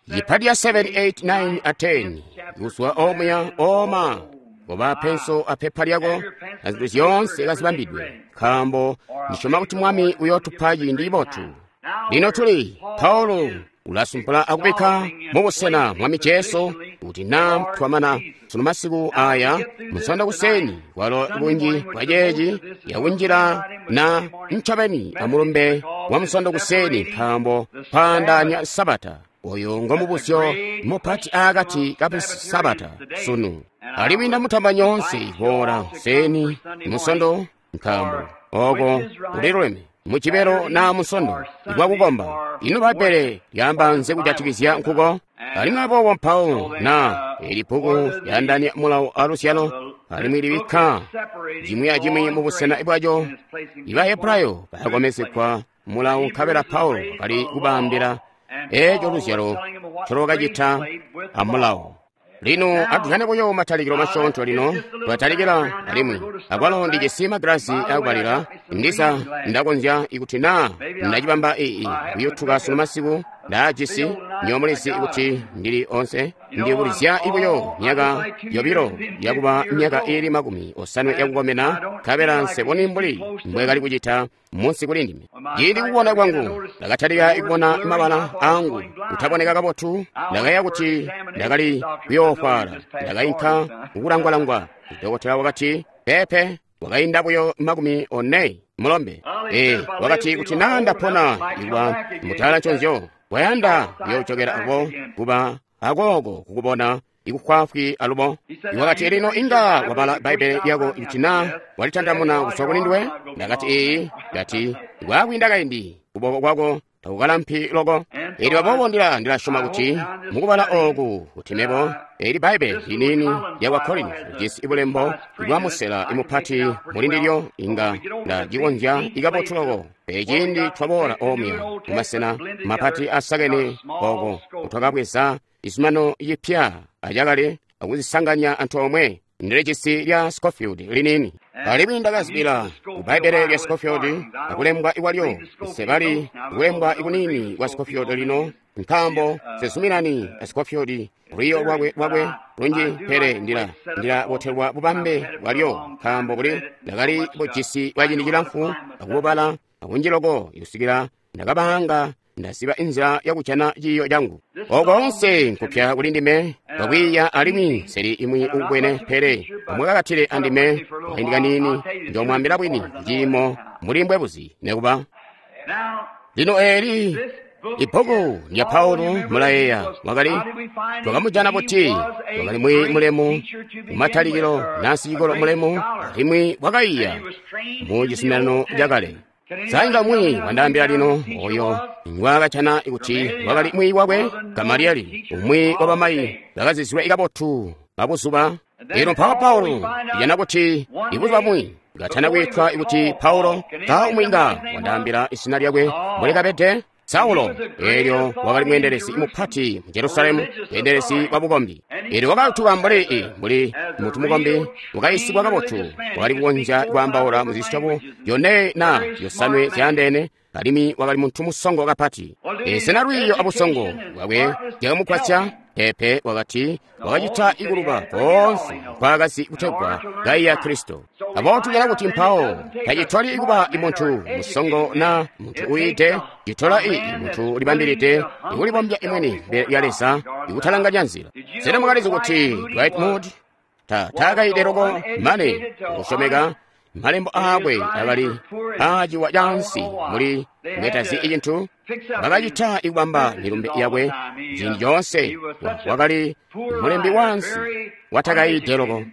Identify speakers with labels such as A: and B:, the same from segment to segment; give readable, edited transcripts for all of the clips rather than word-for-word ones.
A: Yipati ya 7, 8, 9 a 10 kuzwa omuya oma koba penso apepa lyako na zinthu zyoonse kazibambidwe, nkaambo ndisyoma kuti Mwami uyootupa ciindi cibotu. Lino tuli Paulo ulasumpula akubikka mubusena Mwami Jesu kuti naa twamana sunu masiku aya Munsondo kuseni, kwalo bunji bwa ceeci yakunjila na ncobeni amulumbe wa Munsondo kuseni, nkaambo kwaandaanya Sabata oyo ngomubuzyo mupati aakati ka Sabata sunu. Alimwi ndamutamba nyoonse kuboola kuseni Munsondo, nkaambo oko kuliluleme Mujibelo na Munsondo ikwakukomba. Ino Bbaibbele lyaamba nzi kujatikizya nkuko? Alimwi aboobo mpawo na eli bbuku lyaandaanya mulawo aluzyalo, alimwi libikka cimwi acimwi mubusena bwaco. Iba Hebrayo bakakomezegwa mulawo, nkabela Paulo wakali kubaambila eeco luzyalo ncolwakacita amulawo. Lino atujane buyo matalikilo masyoonto. Lino twatalikila, alimwi akwalo ndijisi magilasi akubalila. Ndiza ndakonzya ikuti naa ndacibamba ii kuyutuka sunu masiku. Ndaajisi nyomulizi kuti ndili onse ndibulizya buyo myaka 2 yakuba myaka iili 50 yakukomena, nkabela nseboni mbuli mbwekali kucita munsi kuli ndime. Ciindi kubona kwangu ndakatalika kubona mabala angu kutaboneka kabotu, ndakayeeya kuti ndakali kuyoofwala. Ndakainka kukulangwalangwa. Dokotela wakati, pepe, wakainda buyo 40 mulombe. Wakati kuti naa ndapona ikuba mutala nconzyo, wayanda kuyoojokela abo kuba akooko kukubona ikufwaafwi alubo. Wakati lino inga wabala Bbaibbele lyako ikuti naa walitandamuna kuzwa kuli nduwe. Ndakati iyi. Ndati kwakwiinda kaindi kuboko kwako takukalampi loko. Elyo aboobo ndilasyoma kuti mukubala ooku kuti mebo eli Bbaibbele liniini lyakwa Korinto lijisi bulembo bwa musela imupati muli ndilyo, inga ndacikonzya ikabotu loko. Pele ciindi twaboola omuya mumasena mapati asakene oko twakabweza izumano yipya acakale akuzisanganya antoomwe, ndilijisi lya Scofield liniini. Alimwi ndakazibila ku Bbaibbele lya Scofield akulembwa ikwalyo. Nsebali kulembwa ikunini kwa Scofield lino, nkaambo nsezuminani a Scofield lwiyo lwakwe lunji, pele ndilabotelwa bubambe bwalyo, nkaambo buli ndakali bujisi bwa ciindi cilamfu akububala akunji loko ikusikila ndakabanga ndaziba inzila yakujana ciiyo cangu. Oko onse nkupya kuli ndime kwakwiiya, alimwi nseli imwi ukubwene, pele amwakakatile andime kaindi kaniini, njomwaambila bwini ciimo muli mbwebuzi nekuba. Lino eli ibbuku lya Paulo mulayeeya wakali twakamujana buti? Wakali mwi mulemu kumatalikilo nasicikolo mulemu, alimwi wakaiya mu cizuminano cakale. Sainga mwi wandaambila lino oyo ngwakacana kuti wakali mwi wakwe Gamalieli, umwi wa bamayi bakazizilwe kabotu babuzuba. Lino mpawo Paulo ijana kuti ibuzuba bumwi katana kwitwa kuti Paulo, ka umwi nga wandaambila izina lyakwe mbuli Saulo. Elyo wakali mweendelezi mupati mu Jerusalemu, mweendelezi wa bukombi. Elyo wakatuka mbuli mutu mukombi wakayisigwa kabotu, wakali kukonzya kwaambaula mu zisyobo 4 na 5 zyaandeene, alimwi wakali muntu musongo kapati. Sena lwiiyo abusongo bwakwe byakamugwasya? Pepe, wakati wakacita ikuluba koonse nkwaakazi kutegwa kaiya Kristo. Aboobo tujana kuti mpawo tacitoli kuba muntu musongo na muntu uyiide, citola muntu ulibambilide ikulibombya imwini mbele lya Leza, ikutalanganya nzila. Sena mwakalizi kuti Dwight Moody taakaide loko mane kusyomeka malembo aakwe akali aaciwa cansi muli ngetazi icintu? Bakacita ikubamba milumbe yakwe ciindi coonse. Wakali mulembi wansi watakaide loko.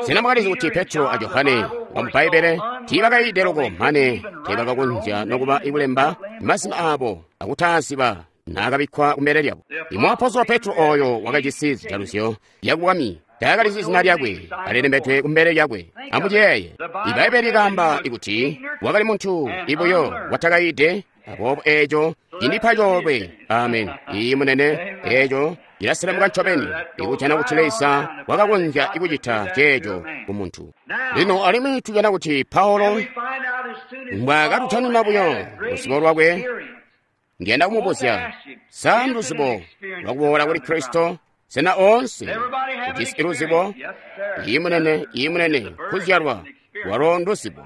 A: Sena mwakalizi kuti Petro a Johane wamu Bbaibbele tiibakaide loko mane teebakakonzya nokuba ikulemba mazina aabo akutaaziba naakabikkwa kumbele lyabo? Imwaapostolo Petro oyo wakajisi zijaluzyo zyakubwami taakalizi zina lyakwe alilembedwe kumbele lyakwe. Amuyeeye, Ibbaibbele likaamba kuti wakali muntu ibuyo watakaide. Aboobo eeco cindipa coolwe. Amen. Iyi munene, eeco cilaselemuka ncobeni ikujana kuti Leza wakakonzya kucita ceeco kumuntu. Lino alimwi tujana kuti Paulo mbwaakatutanuna buyo luzibo lwakwe Ndiyanda kumubuzya, sa nduzibo lwakuboola kuli Kristo? Sena oonse ujisi luzibo? Iyi munene, iyi munene, kuzyalwa walo nduzibo.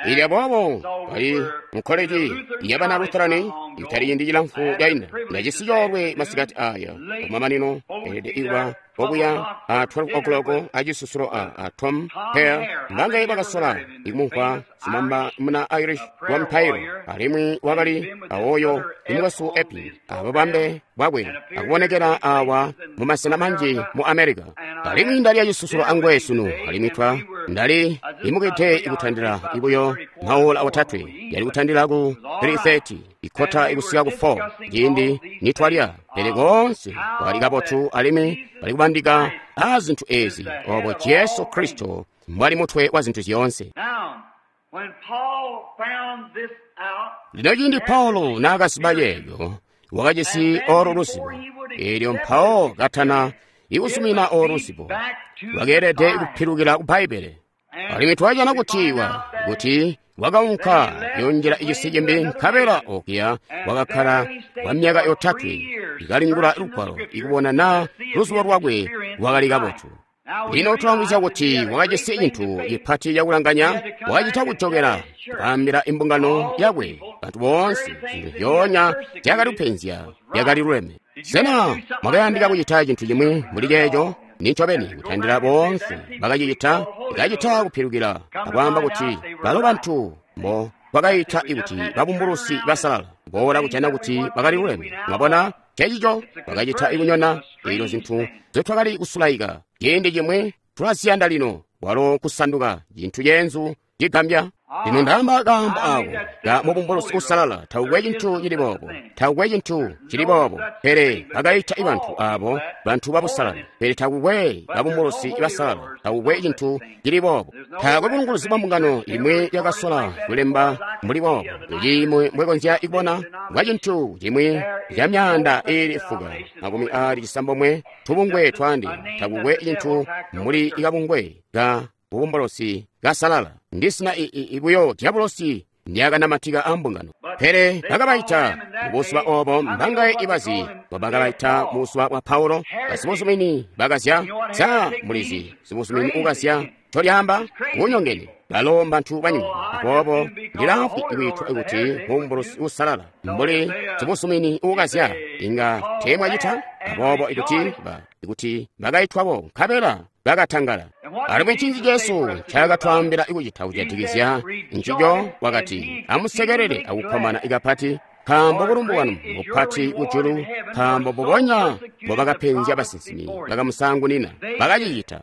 A: Ili aboobo bali mu koleji yabana Lutherani itali ciindi cilamfu cainda. Ndajisi coolwe masikati aya kumamanino elede ikuba okuya a 12 o'clock acisusulo a Tom Hare mbangaye bakasola ikumumvwa simamba muna Irish wa mpairo alimwi wakali awoyo imukwesu Epi abubambe bwakwe akubonekela awa mu masena manji mu America. Alimwi ndali acisusulo angwe sunu alimwi twa ndali imukite ikutandila ibuyo maola otatwe yali kutandila ku 3:30 ikota ikusika ku 4 ciindi nitwalya pele koonse kwali kabotu alimwi bali kubandika a zinthu ezi obo Jesu Kristo mbwali mutwe wa zinthu zyoonse. Lino ciindi Paulo naakaziba yeeyo wakajisi olo luzibo eelyo mpawo katana ikusumina olo luzibo lwakeelede kupilukila ku Bbaibbele. Alimwi twajana kuti kuti wakaunka yonjela icisi cimbi nkabela okuya wakakkala kwa myaka yotatwe ikalingula lugwalo ikubona naa luzubo lwakwe lwakali kabotu. Lino tulamvwisya kuti wakajisi cintu cipati cakulanganya, wakacita kujokela kwaambila imbungano yakwe bantu boonse zintu zyoonya zyakali kupenzya byakali luleme. Sena mwakayandika kucita cintu cimwi mbuli ceeco? Nincobeni kutandila boonse bakacicita ikacita kupilukila akwaamba kuti balo bantu mbo bakayita kuti babumbulusi basalala boola kujana kuti bakali luleme. Mwabona cecico bakacita ikunyona eelyo zinthu zetwakali kusulaika ciindi cimwi tulaziyanda lino walo kusanduka cintu ceenzu cigambya. Lino ndaamba kaambo ako ka mubumbulusi usalala takukwe cintu cili boobo, takukwe cintu cili boobo, pele bakayita bantu abo bantu babusalala, pele takukwe babumbulusi basalala, takukwe cintu cili boobo. Taakwe bulunguluzi bwa mbungano imwe yakasola kulemba mbuli boobo. Icimwe mbwekonzya kubona bwa cintu cimwi ca myaanda iili fuka 96 tubungwe twandi, takukwe cintu mbuli kabungwe ka bubumbulusi kasalala. Ndisina ibuyo diabolosi ndyakanamatika ambungano. Pele bakabaita mubuzuba obo mbangaye ibazi bakabaita mubuzuba bwa Paulo basibuzumini bakazya. Sa mulizi sibuzumini ukazya ncolyaamba kunyongene balo mbantu banyina. Aboobo ndilaafwi ikwiitwa kuti mubumbulusi usalala mbuli sibuzumini ukazya inga teemwacita. Aboobo ikuti bakaitwabo nkabela bakatangala. Alimwi ncinzi Jesu ncaakatwaambila ikucita kujatikizya ncico? Wakati, amusekelele akukkomana kapati, nkaambo bulumbu bwanu bupati kujulu, nkaambo mbubonya mbobakapenzya basinsimi bakamusaangunina bakacicita.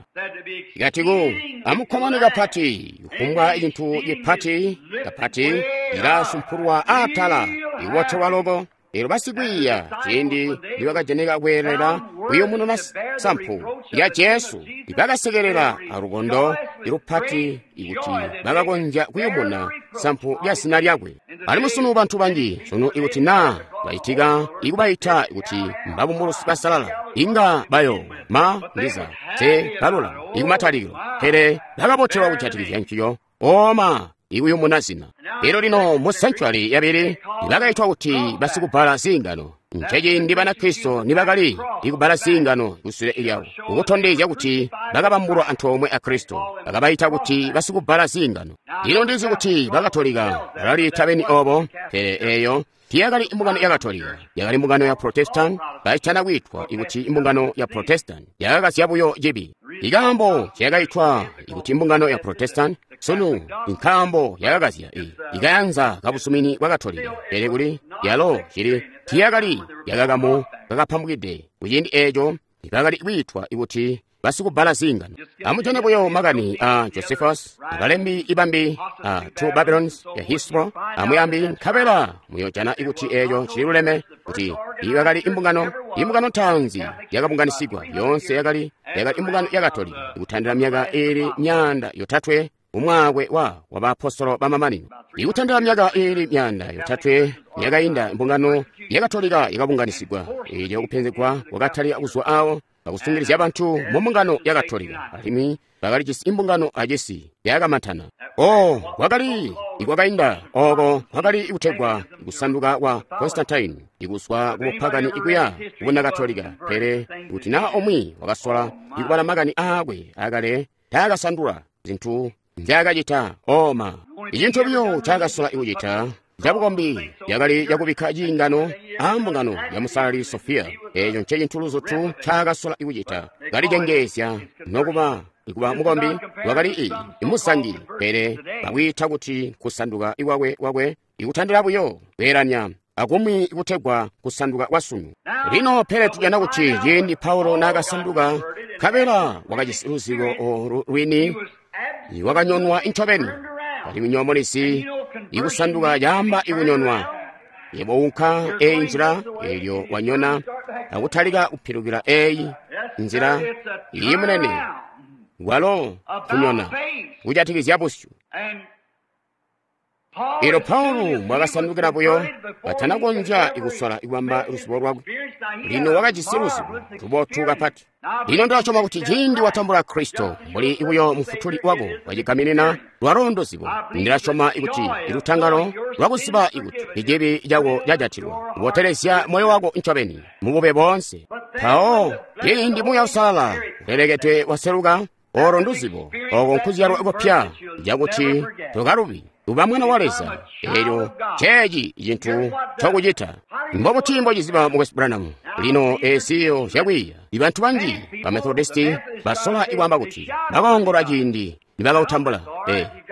A: Ikati ku amukkomane kapati, kufumbwa cintu cipati kapati cilasumpulwa atala ikubotelwa loko. Eelyo basikwiiya ciindi nibakajanika kweelela kuyumununa sampu lya Jesu, bakasekelela alukondo lupati ikuti bakakonzya kuyumuna sampu lya zina lyakwe. Alimwi sunu bantu banji sunu ikuti naa bacitika ikubayita kuti mbabumbulusi basalala, inga bayo ma ndiza te balula ikumatalikilo, pele bakabotelwa kujatikizya ncico oma ikuyumuna zina. Elyo lino mu sanctuary yabili bakaitwa kuti basikubala ziingano. Nceciindi Banakristo nibakali ikubala ziingano kusule lyawo, kukutondezya kuti bakabambulwa antoomwe a Kristo. Bakabaita kuti basikubala ziingano. Lino ndizi kuti Bakatolika balaliita beni obo, pele eyo tiyakali imbungano ya Katolika, yakali imbungano ya Protestant. Baitana kwitwa ikuti imbungano ya Protestant yakakazya buyo cibi. Ikaambo ciyakaitwa ikuti imbungano ya Protestant sunu nkaambo yakakazya ikayanza kabusumini bwa Katolika, pele kuli yalo cili tiyakali yakakamu kakapambukide kuciindi eeco bakali kwiitwa ikuti basikubala ziingano. Amujane buyo makani a Josephus, abalembi ibambi a Two Babylons ya History amuyambi, nkabela muyojana ikuti eeco cililuleme kuti yakali imbungano ntaanzi yakabunganisigwa yoonse yakali imbungano ya Katolika ikutandila myaka iili 300 umwaakwe wa baapostolo bamamanino. Ikutandila myaka iili 300 yakainda imbungano ya Katolika yakabunganisigwa. Eelyo kupenzegwa kwakatalika kuzwa awo bakusungilizya bantu mu mbungano ya Katolika, alimwi bakalijisi imbungano acisi yakamantana. Oh, kwakali ikwakainda oko kwakali kutegwa kusanduka kwa Constantine ikuzwa kubupagani ikuya kubunakatolika. Pele kuti naa omwe wakasola ikubala makani aakwe akale, taakasandula zintu nzyaakacita. Oma icintu buyo ncaakasola ikucita cabukombi yakali yakubikka ciingano a mbungano ya Musalali Sofiya. Eeco ncecintu luzutu ncaakasola ikucita, kalicengeezya nokuba ikuba mukombi. Wakali imuzangi, pele bakwiita kuti kusanduka ikwakwe ikutandila buyo kweelanya akumwi kutegwa kusanduka kwasunu. Lino pele tujana kuti ciindi Paulo naakasanduka, nkabela wakajisi luzibo olu lwini, wakanyonwa incobeni. Alimwi nyoomolesi ikusanduka caamba ikunyonwa. Yebo unka eyi nzila, eelyo wanyona akutalika kupilukila eyi nzila iyi munene. Walo kunyona kujatikizya busyu. Elyo Paulo mbwakasandukila buyo, katanakonzya ikusola ikwamba luzibo lwakwe. Lino wakajisi luzibo lubotu kapati. Lino ndasyoma kuti ciindi watambula Kristo mbuli buyo mufutuli wako wacigaminina, lwalo nduzibo. Ndilasyoma kuti ilutangalo lwakuziba ikuti icibi cako cajatilwa, kubotelezya moyo wako ncobeni mubube boonse. Mpawo ciindi Muuya Uusalala ulelekedwe waseluka, olo nduzibo, oko nkuzyalwa kupya, cakuti tokalubi, uba mwana wa Leza. Elyo ceeci cintu ncokucita. Mbobuti mbociziba, Mukwesu Branham? Lino eziyo zyakwiiya. Ibantu banji ba Methodisti basola ikwaamba kuti bakaongolola ciindi nibakautambula.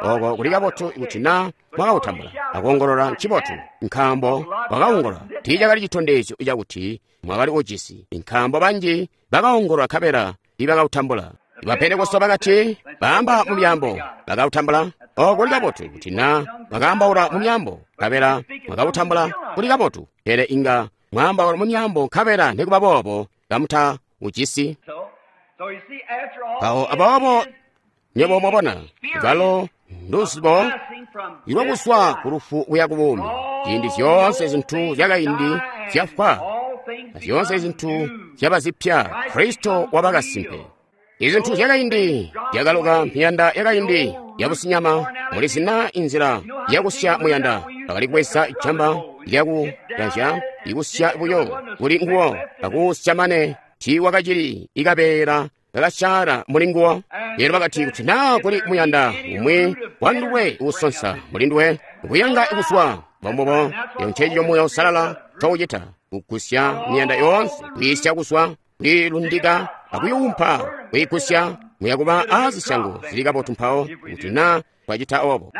A: Oko kuli kabotu kuti na mwakautambula. Akuongolola ncibotu, nkaambo wakaongolola tiicakali citondezyo cakuti mwakali ujisi, nkaambo banji bakaongolola nkabela tiibakautambula. Bapentekoste bakati baamba mu myaambo bakautambula. Oko kuli kabotu kuti na mwakaambaula mu myaambo nkabela mwakautambula, kuli kabotu, pele inga mwaambaula mu myaambo nkabela nikuba boobo kamuta ujisi. Mpawo aboobo nywebo mwabona, lwalo nduzibo ilwakuzwa ku lufu kuya ku buumi. Ciindi zyoonse zintu zyakaindi zyafwa, zyoonse zintu zyaba zipya, Kristo waba kasimpe. Izintu zyakaindi zyakaloka, miyanda yakaindi yabusinyama. Muli zina inzila yakusya muyanda, bakali kubweza ijamba lyakuyanzya ikusya buyo kuli nguwo akusya mane tiiwakacili ikabeela kakasyaala muli nguwo. Lero bakati kuti naa kuli muyanda umwi wanduwe uusonsa muli nduwe kuyanga ikuswa mbombubo. Eyo ncencico Muuya Uusalala ncoucita, kugusya miyanda yoonse, kwiisya kuswa, kwiilundika akuyuumpa, kwiigusya. Muyakuba aazisyango zili kabotu mpawo kuti naa twacita obo.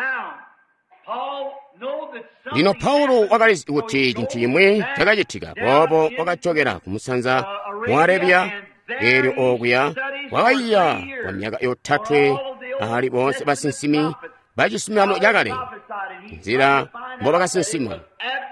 A: Lino Paulo wakalizi kuti cintu cimwi cakacitika, boobo wakajokela kumusanza mu Arabiya. Eelyo okuya wakayiya kwa myaka 3 ahali boonse basinsimi bacizuminano cakale, nzila mbobakasinsima.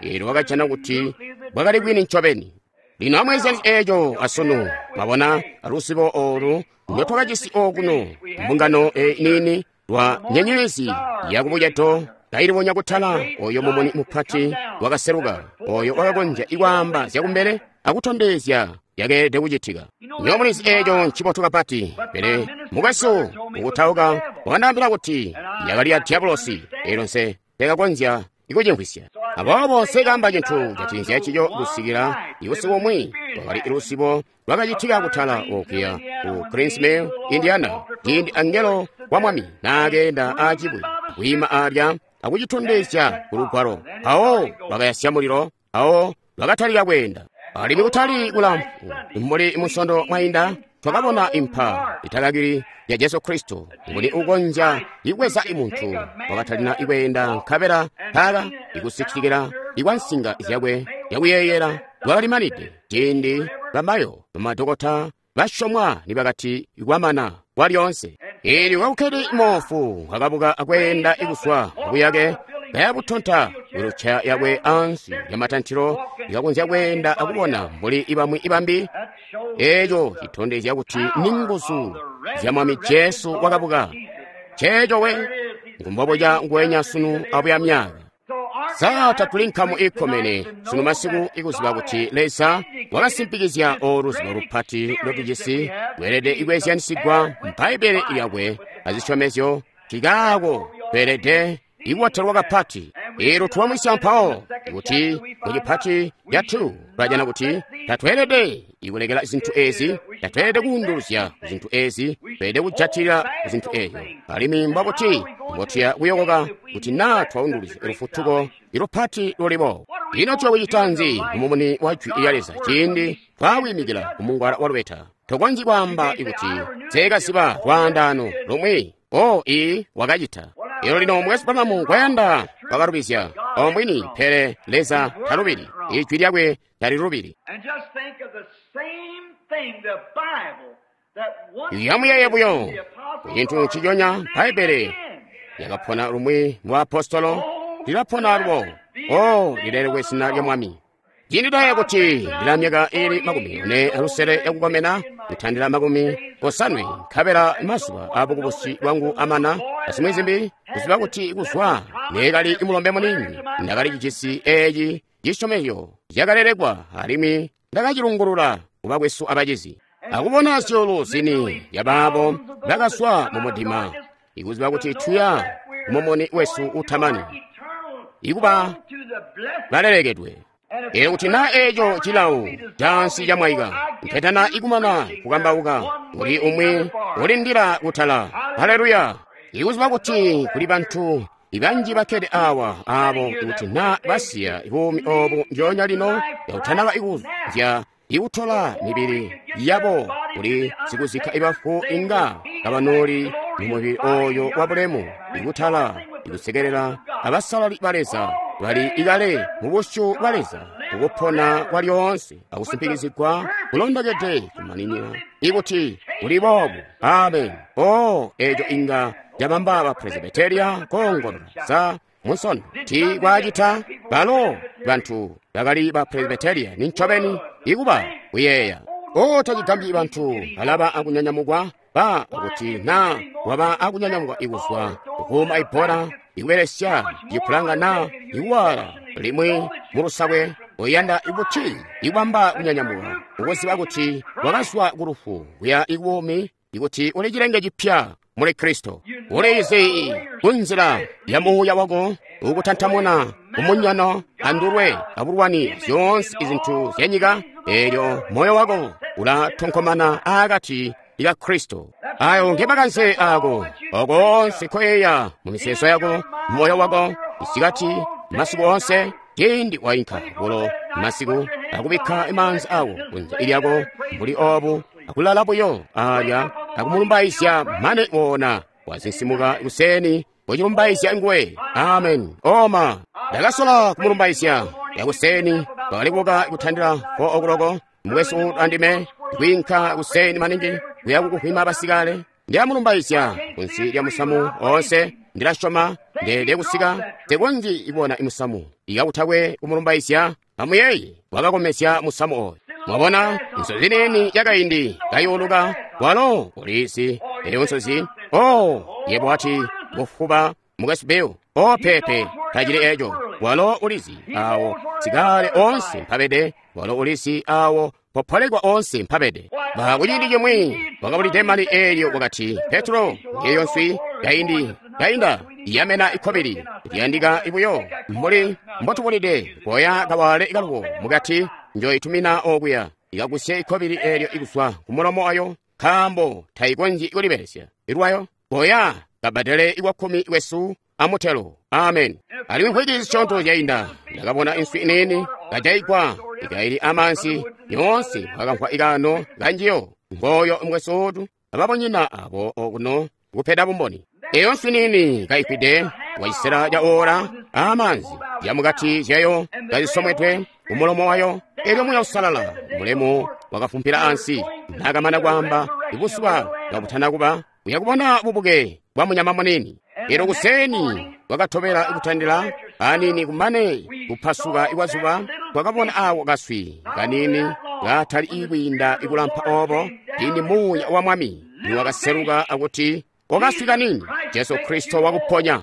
A: Eelyo wakajana kuti bwakali bwini ncobeni. Lino amweezyani eeco asunu, mwabona aluzibo olu ndotwakajisi okuno mbungano niini lwa nyenyezi yakubucedo kailibonya kutala, oyo mumuni mupati wakaseluka, oyo wakakonzya ikwaamba zyakumbele akutondezya yakeelede kucitika. Nywebo mulizi eeco ncibotu kapati, pele mukwesu ukutauka wakandaambila kuti yakali ya diabolosi. Eelyo nse tekakonzya ikucimvwisya. Aboobo nsekaamba cintu catinzya cico kusikila ibusiku bumwi kwakali luzibo lwakacitika kutala okuya ku Green's Mill, Indiana, ciindi angelo wa Mwami naakeenda aacibwe kwiima alya akucitondezya ku lugwalo. Mpawo lwakayasya mulilo, mpawo lwakatalika kweenda. Alimwi kutali kulamfu mbuli musondo mwainda, twakabona impa itakakili ya Jesu Kristo, nguni ukonzya ikweza imuntu wakatalina ikweenda, nkabela mpaka ikusitikila ikwa nsinga zyakwe yakuyeeyela lwakalimanide ciindi bamayo bamadokota basyomwa nibakati kwamana kwalyoonse. Eelyo kakukkede moofu wakabuka akweenda ikuswa mubuyake kayabutonta wiluceya yakwe ansi lyamatantilo, ikakonzya kweenda akubona mbuli ibamwi ibambi. Eeco citondezya kuti ni nguzu zya Mwami Jesu wakabuka. Ceeco we ngumbobuca nguwenya sunu abuya myaka. Sa tatuli nkamu ikkomene sunu masiku ikuziba kuti Leza wakasimpikizya olu luzibo lupati lotujisi lweelede ikweezyanisigwa Bbaibbele lyakwe azisyomezyo? Cikaako Tweelede ikubotelwa kapati. Elo twamwisya mpawo kuti mucipati catu twajana kuti tatweelede ikulekela zinthu ezi, tatweelede kuunduluzya zinthu ezi, tweelede kujatilila zinthu ezo. Alimwi mbwakuti mbotuya kuyokoka kuti naa twaunduluzya lufutuko ilupati lulibo. Ino tuyakucita nzi mumumuni wa jwi lya Leza ciindi twawimikila kumungwala wa lubeta? Tokonzyi kwaamba kuti seekaziba lwaandaano lumwi. O ii wakacita. Elo lino mukwesu Branham kwayanda wakalubizya ombwini, pele Leza talubili, ijwi lyakwe talilubili. Yamuyeeye buyo kucintu nciconya Bbaibbele lyakapona lumwi mu apostolo, lilapona alubo. O lilelekwe zina lya Mwami. Ciindi ndaya kuti ndila myaka ili 46 yakukomena, kutandila 80, nkabela mazuba abukubusi bwangu amana, asimwi zimbi, kuziba kuti kuzwa neekali mulombe muniini, ndakali cijisi eeci cisyomezyo cakalelekwa alimwi ndakacilungulula kubakwesu abacizi. Akubona zyuulu zini yabaabo bakazwa mu mudima, ikuziba kuti tuya kumumuni wesu utamani, ikuba balelekedwe. Elo kuti naa eeco cilawo cansi camwaika, mpetana ikumana kukambauka, kuli umwi ulindila kutala. Haleluya! Ikuziba kuti kuli bantu ibanji bakkede awa aabo kuti naa basiya buumi obu njoonya lino yakutanaba ikuzya ikutola mibili yabo kuli sikuzikka ibafu inga kabanoli mu mubili oyo wabulemu, ikutala ikusekelela abasalali ba Leza bali ikale mu busyu bwa Leza ukupona kwa lyoonse akusimpikizigwa kulondokede kumaninina ikuti kuli boobu. Amen. O eco inga cabamba ba Presbyteria koongolola sa munsono ti kwacita balo bantu bakali ba Presbyteria ni ncobeni ikuba kuyeeya. O tacigambyi bantu balaba akunyanyamukwa ba akuti naa waba akunyanyamukwa ikuzwa kukuuma ibbola ikubelesya cipulanga naa ikuwala limwi mulusakwe uyanda ikuti ikubamba kunyanyamuka ukuziba kuti wakazwa ku lufu kuya ikubuumi, ikuti uli cilenge cipya muli Kristo. Uliizi kunzila ya muuya wako ukutantamuna kumunyano andulwe abulwani zyoonse izintu zyanyika, eelyo moyo wako ulatonkomana aakati ya Kristo. Ayo ngemakanze ako okoonse koyeeya mu miseezo yako, moyo wako isikati masiku onse, ciindi wainka bulo masiku akubikka maanzi awo kunze lyako mbuli obu akulala buyo alya akumulumbaizya mane wona wazinsimuka kuseni kucilumbaizya nguwe. Amen. Oma ndakasola kumulumbaizya yakuseni bakali kubuka kutandila 4 o'clock mukwesu andime kwinka kuseni maningi kuya kukuhwima basikale. Ndiyamulumbaizya kunsi lya musamu onse, ndilasyoma ndeelede kusika tekonzyi ibona imusamu ikakutakwe kumulumbaizya. Amuyeeye wakakomesya musamu oyo. Mwabona nsozi nini yakaindi kayuluka walo ulizi eyo nsozi. O yebo wati kufuba mukwesu Bill. O pepe tacili eco. Walo ulizi awo sikale onse mpabede, walo ulizi awo popolekwa onse mpabede. Bakuciindi cimwi wakabulide mali eelyo wakati Petro ngeyo nswi kaindi kainda yamena ikobili liyandika ibuyo mbuli mbotubulide koya kawale kalubo mukati njoyitumina okuya ikagusye ikobili eelyo ikuzwa kumulomo ayo nkaambo tayikonzyi kulibelesya ilwayo. Koya kabadele iwakkumi kwesu amutelo. Amen. Alimwi mvwiki zisyoonto zyainda ndakabona inswi iniini kajayigwa ikaili amansi yoonse wakamvwa ikano kanjiyo ngoyo mukwesu ababonyina abo okuno kupeda bumboni. Eyo nswi nini kayifwide wacisela ca ora amanzi yamukati zyayo kazisomwedwe kumulomo wayo. Elyo Muuya Uusalala mulemu wakafumpila ansi nakamana kwaamba ibuzuba kabutana kuba uya kubona bubuke bwa munyama munini. Elyo kuseni wakatobela kutandila anini kumane kupasuka ikwazuba twakabona awo kaswi kanini katali ikwiinda ikulampa obo ciindi Muuya wa Mwami niwakaseluka akuti okaswi kanini Jesu Kristo wakuponya.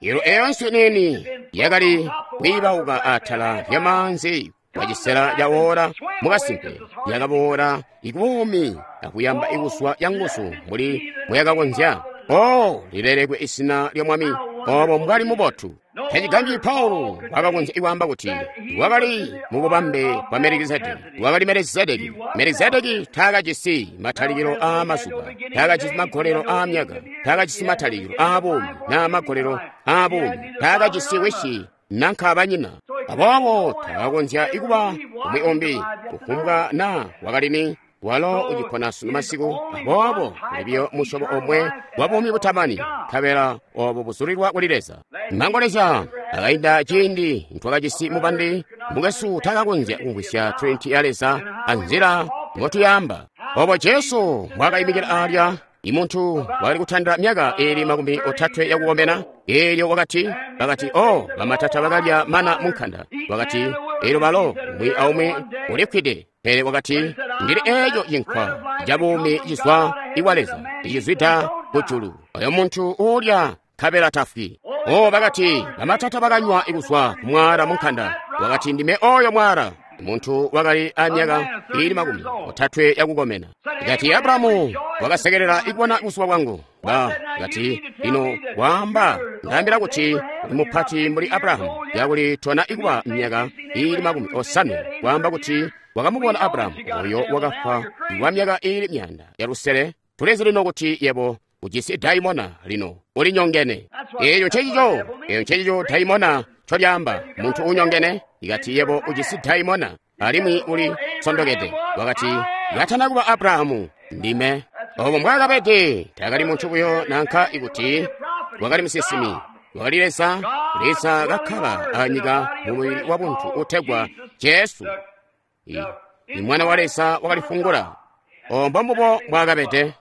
A: Elo eyo nswi nini yakali kwiibauka atala lyamanzi wacisela ca ora mukasimpe yakaboola ikubuumi akuyamba ikuswa yanguzu mbuli muyakakonzya. O lilelekwe izina lya Mwami. Obo mbwali mubotu. Tacigambyi Paulo wakakonzya kwaamba kuti wakali mu bubambe bwa Melekizedeki. Wakali Melekizedeki. Melekizedeki taakajisi matalikilo aa mazuba, taakajisi magolelo aa myaka, taakajisi matalikilo aa buumi naa magolelo aa buumi, taakajisi wisi nanka banyina. Aboobo takakonzya kuba umwi umbi kufumbwa naa wakali ni. Walo ucipona sunu masiku. Aboobo kuli biyo musyobo omwe wa buumi butamani, nkabela obo buzulilwa kuli Leza. Mangolezya akainda ciindi ntwakajisi mubandi, mukwesu takakonzya kumvwisya Trinity ya Leza anzila mbotuyaamba. Obo Jesu mbwaakaimikila aalya, imuntu wakali kutandila myaka iili 30 yakukomena, eelyo wakati, bakati, oh, bamatata bakalya mana munkanda. Wakati, eelyo balo umwi aumwi ulifwide. Pele wakati, ndili eeco cinkwa ca buumi cizwa ikwa Leza, icizwida kujulu. Oyo muntu uulya nkabela tafwi. Oh, bakati, bamatata bakanywa kuzwa ku mwaala munkanda. Wakati, ndime oyo mwaala. Muntu wakali a myaka iili 30 yakukomena. Kati Abrahamu wakasekelela ikubona buzuba bwangu. Ba kati, lino waamba, ndaambila kuti uli mupati mbuli Abrahamu, yakuli tona ikuba myaka iili 50. Waamba kuti wakamubona Abrahamu oyo wakafwa wa myaka iili 500. Tulizi lino kuti yebo ujisi daimona lino ulinyongene. Eeyo ncecico, eeyo ncecico daimona ncolyaamba, muntu unyongene. Ikati yebo ujisi daimona alimwi uli sondokede. Wakati, katana kuba Abrahamu, ndime. Obo mbwaakabede, taakali muntu buyo nanka ikuti wakali musinsimi. Wakali Leza, Leza kakkala anyika mu mubili wa buntu utegwa Jesu. I Mwana wa Leza wakalifungula. Obo mbombubo mbwaakabede.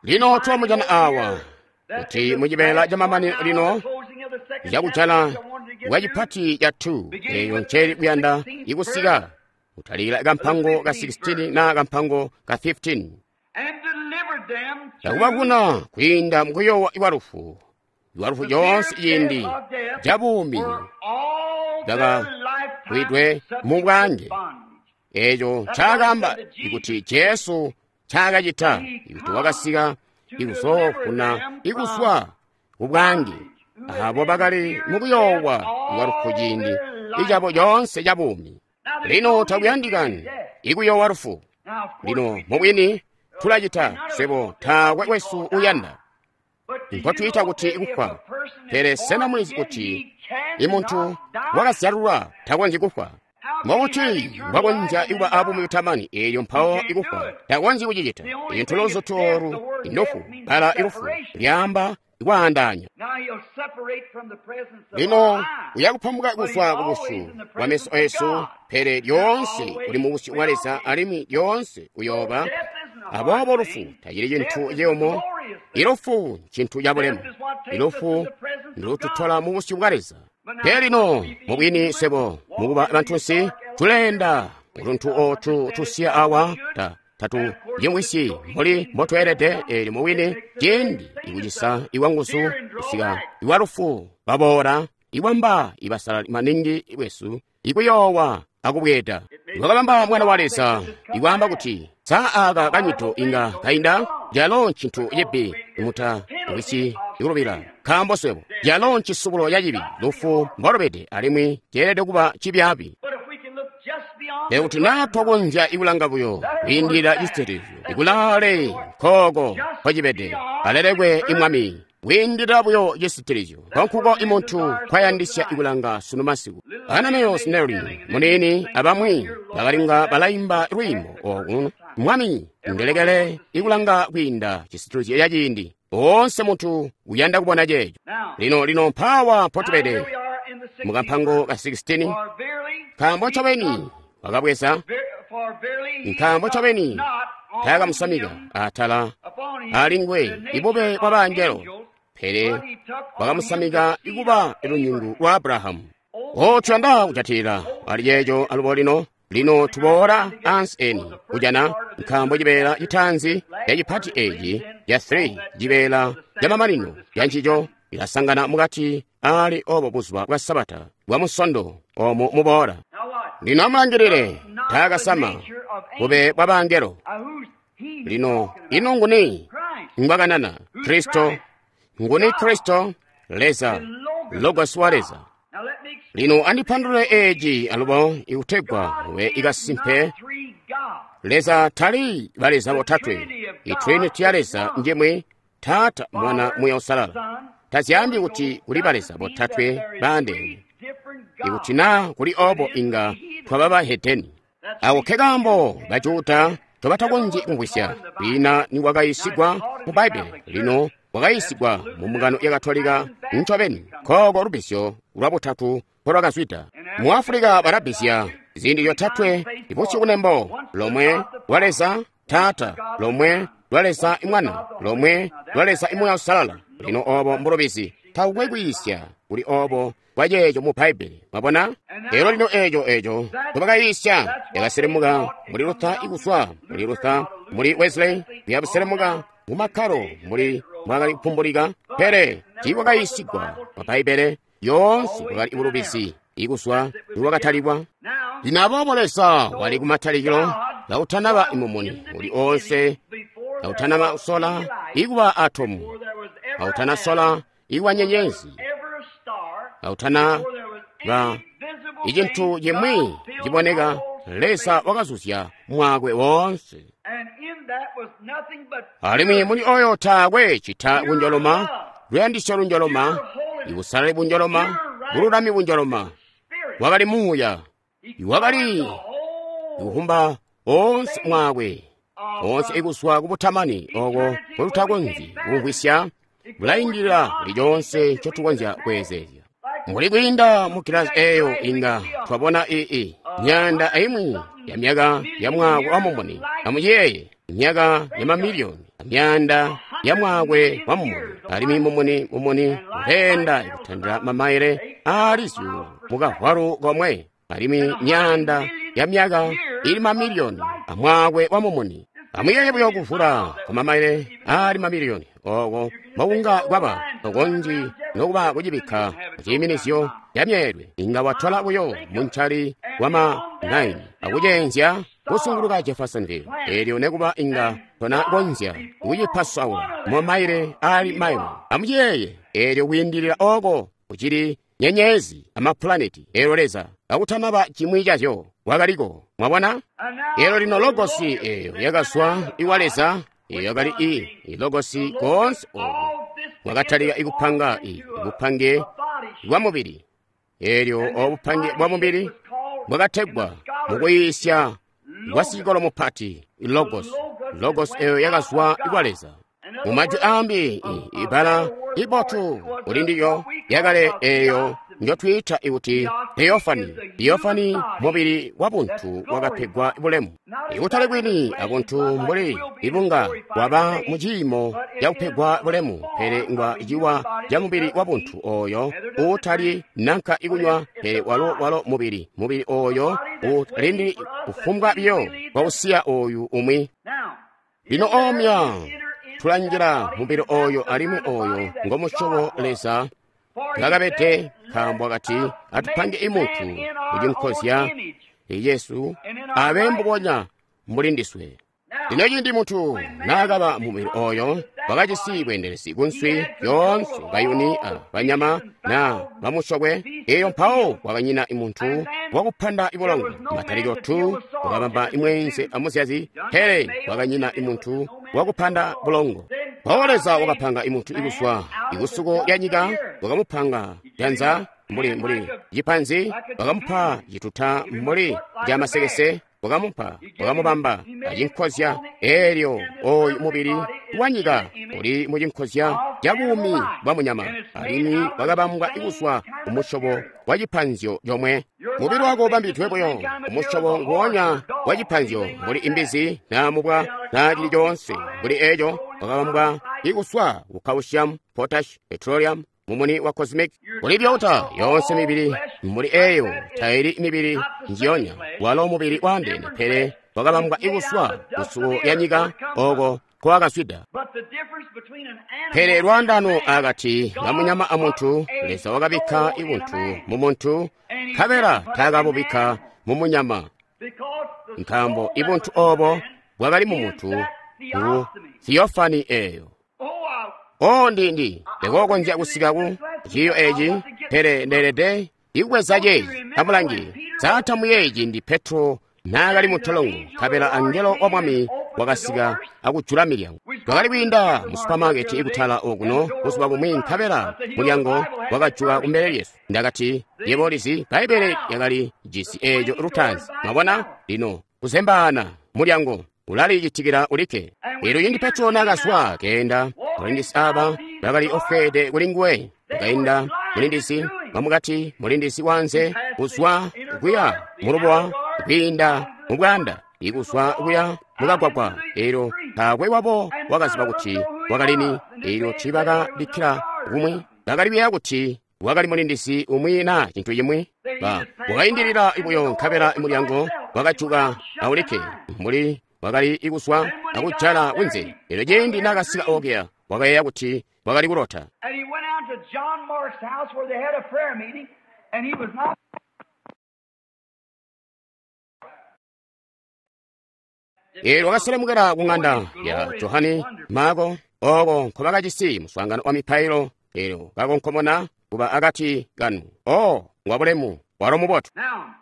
A: Lino twamujana awa kuti mucibeela camamanino lino cakujala kwa cipati ca 2 eeyo nceli kuyanda ikusika kutalikila kampango ka 16 na kampango ka 15. Takubavuna kwiinda mukuyowa iwalufu, iwalufu yoonse ciindi ca buumi bwakakwidwe mu bwange. Eeco ncaakaamba ikuti Jesu ncaakacita ikuti wakasika ikuzoofuna ikuswa kubwange abo bakali mukuyoowa iwalufu ciindi icabo coonse ca buumi. Lino takuyandikani ikuyoowa lufu. Lino mubwini tulacita swebo taakwe wesu uyanda nkotwiita kuti kufwa. Pele sena mulizi kuti imuntu wakazyalulwa takonzyi kufwa? Mbokuti mbwakonzya kuba abuumi butamani eelyo mpawo ikufwa takonzyi kucicita. Intu luzutu oolu ndufu, bbala ilufu lyaamba kwaandaanya. Lino uyakupambuka kuzwa ku busyu bwa meso esu, pele lyoonse uli mu busyu bwa Leza alimwi lyoonse uyooba. Aboobo lufu tacili cintu ciyumu. Ilufu ncintu cabulemu. Ilufu ndututola mu busyu bwa Leza. Pele lino mubwini swebo mukuba bantunsi tuleenda utuntu otu tusiya awa tatu yimwisyi mbuli mbotweelede. Eelyo mubwini ciindi ikucisa iwanguzu kusika iwalufu baboola iwamba ibasalali maningi bwesu ikuyoowa akubweeda. Wakabamba Mwana wa Leza ikwaamba kuti saa aka kanyito inga kainda, calo ncintu cibi muta wisi ikulubila, nkaambo swebo calo ncisubulo ca cibi lufu mbolubede alimwi ceelede kuba cibyaabi. Pele kuti naa twakonzya ikulanga buyo kwiindilila cisitilizyo ikulaale nkooko nkocibede, alelekwe imwami kwiindilila buyo cisitilizyo nkonkuko imuntu nkwayandisya ikulanga sunu masiku. Ananias Snelling muniini abamwi bakalinga balaimba lwiimbo oku, Mwami ndelekele ikulanga kwiinda cisitilizyo ca ciindi. Woonse muntu uyanda kubona ceeco. Lino lino mpaawa mpotubede mukampango ka 16. Nkaambo ncobeni wakabweza, nkaambo ncobeni taakamusamika atala alinguwe ibube bwa bangelo, pele wakamusamika ikuba lunyungu lwa Abrahamu. O tuyanda kujatilila ali ceeco alubo lino. Lino tuboola ansi eni kujana, nkaambo cibeela citaanzi ca cipati eeci ca 3 cibeela ca mamanino ca ncico ilasangana mukati ali obo buzuba bwa Sabata bwa Musondo omo muboola. Lino amulangilile, taakasama bube bwa bangelo. Lino ino nguni ngwakanana? Kristo. Nguni Kristo? Leza, Logos wa Leza. Lino andipandulule eeci alubo ikutegwa mube ikasimpe. Leza tali baleza botatwe. I Trinity ya Leza njimwi, Taata, Mwana, Muuya Uusalala. Tazyaambi kuti kuli baleza botatwe baandeene. Ikuti naa kuli obo inga twaba bahedeni. Ako ke kaambo Bajuda ncobatakonzyi kumvwisya. Kwiina nikwakayiisigwa mu Bbaibbele, lino kwakayiisigwa mu mbungano ya Katolika ncobeni. Nkooko lubbizyo lwa butatu mpolwakazwida. Mu Afulika balabbizya ziindi zyotatwe ibusyu kunembo, lomwe lwa Leza Taata, lomwe lwa Leza Mwana, lomwe lwa Leza Muuya Uusalala. Lino obo mbulubizi. Takukwe kwiisya kuli obo bwa ceeco mu Bbaibbele. Mwabona? Lero lino eeco ncobakayiisya yakaselemuka muli Luther ikuzwa muli Luther, muli Wesley, kuyakuselemuka mu makkalo muli mwakali kupumbulika, pele tiikwakayiisigwa mu Bbaibbele yoonse bwakali bulubizi ikuzwa nikwakatalikwa. Lino aboobo Leza wali kumatalikilo kautanaba mumuni uli oonse, kautanaba sola ikuba atomu, kautana sola ikuba nyenyezi, kautana ba icintu cimwi ciboneka, Leza wakazuzya mwaakwe woonse. Alimwi muli oyo taakwe cita kunjoloma, luyandisyo lunjoloma, ibusalali bunjoloma, bululami bunjoloma. Wakali Muuya, iwakali ikuhumba oonse mwaakwe, oonse ikuzwa kubutamani oko nkotutakonzyi kumvwisya, bulaindilila kuli coonse ncotukonzya kweezeezya. Mbuli kwiinda mu gilasi eeyo inga twabona ii myaanda aimwi ya myaka ya mwaakwe wa mumuni. Amuyeeye, myaka ya mamiliyoni, myaanda ya mwaakwe wa mumuni. Alimwi mumuni mumuni uleenda kutandila mamaile aali zyuulu mukavwalu komwe. Alimwi myaanda ya myaka ili mamiliyoni amwaakwe wa mumuni. Amuyeeye buyo kuvula kwa mamaile aali mamiliyoni oko mbokunga kwaba tokonzyi nokuba kucibikka muciiminizyo ca myeelwe. Inga watwala buyo muncali wa ma 9 akuceenzya kusunguluka Jeffersonville, eelyo nekuba inga tonakonzya kucipasaula mumaile aali mailo. Amuyeeye, eelyo kwiindilila oko kucili nyenyezi amapulaneti, eelyo Leza akutanaba cimwi cazyo wakaliko. Mwabona? Eelyo lino Logosi eeyo yakazwa iwa Leza, eyo yakali i Logosi koonse oku mwakatalika ikupanga i bupange bwa mubili. Eelyo obupange bwa mubili bwakategwa mukuyiisya kwa sikolo mupati Logos. Logos eyo yakazwa iwa Leza. Mu majwi ambi, ibala ibotu kuli ndilyo yakale eyo njotwiita ikuti theophany. Theophany mubili wa buntu wakapegwa bulemu. Ikutali kwini abuntu mbuli ibunga bwaba mu ciimo cakupegwa bulemu, pele ngwa ciwa ca mubili wa buntu oyo uutali nanka ikunywa, pele walo walo mubili mubili oyo utalindili kufumbwa biyo kwausiya oyu umwi. Lino omya tulanjila mubili oyo, alimwi oyo ngomusyobo Leza ngakabede, nkaambo akati atupange imuntu kucinkozya Yesu abe mbubonya mbuli ndiswe. Lino ciindi muntu naakaba mubili oyo, wakajisi bweendelezi kunswi yoonse, bayuni a banyama na bamusyokwe. Eyo mpawo kwakanyina muntu wakupanda ibulongo. Matalikilo 2 wakabamba imweenze amuzyazi, pele kwakanyina imuntu wakupanda bulongo. Mpawo Leza wakapanga imuntu ikuzwa ikusuko lya nyika, wakamupanga janza mbuli mbuli cipanzi, wakamupa cituta mbuli ca masekese, wakamupa wakamubamba acinkozya. Eelyo oyu mubili wa nyika uli mucinkozya ca buumi bwa munyama, alimwi wakabambwa kuzwa kumusyobo wa cipanzyo comwe. Mubili wako ubambidwe buyo kumusyobo nguonya wa cipanzyo, mbuli imbizi na mubwa na cili coonse mbuli eco, wakabambwa ikuswa ku calcium, potash, petroleum, mumuni wa cosmic. Kuli byota yoonse mibili mbuli eyo taili mibili njiyonya, walo mubili waandeene, pele wakabambwa ikuswa kusuko lya nyika oko kwakazwida. Pele lwaandano akati ka munyama amuntu, Leza wakabikka ibuntu mu muntu, nkabela taakabubikka mu munyama, nkaambo ibuntu obo bwakali mu muntu ku theophany eyo. O ndindi ndikokonzya kusika ku ciiyo eci, pele ndeelede ikubweza ceeci. Amulange, saatamu yeeci ndi Petro naakali mu ntolongo, nkabela angelo wa Mwami wakasika akujula milyango. Twakali kwiinda mu supamaketi ikutala okuno buzuba bumwi, nkabela mulyango wakajuka kumbele lyesu. Ndakati, yebo ulizi, Bbaibbele lyakali jisi eeco lutaanzi. Mwabona? Lino, kuzembaana mulyango ulalicitikila ulikke. Elyo cindi Petro naakazwa keenda, balindizi aba bakali ofweede kuli nguwe. Wakainda mulindizi wamukati, mulindizi wanze, kuzwa kuya mulubuwa, kwiinda mubwanda, ikuzwa kuya mukagwagwa. Elyo taakwe wabo wakaziba kuti wakalini. Elyo tiibakabikkila kumwi, bakali kuyeeya kuti wakali mulindizi umwi na cintu cimwi. Wakaindilila buyo, nkabela mulyango wakajuka aulikke, mbuli wakali ikuzwa akujala kunze. Elyo ciindi naakasika okuya, wakayeeya kuti wakali kulota.
B: And he went out to John Mark's house where they had a prayer meeting, and he was not.
A: Elyo wakaselemukela ku ng'anda ya Johani Marko, oko nkobakajisi muswaangano wa mipailo. Elyo kakonkomona kuba akati kanu. Oh, ngwabulemu, walo mubotu.
B: Now,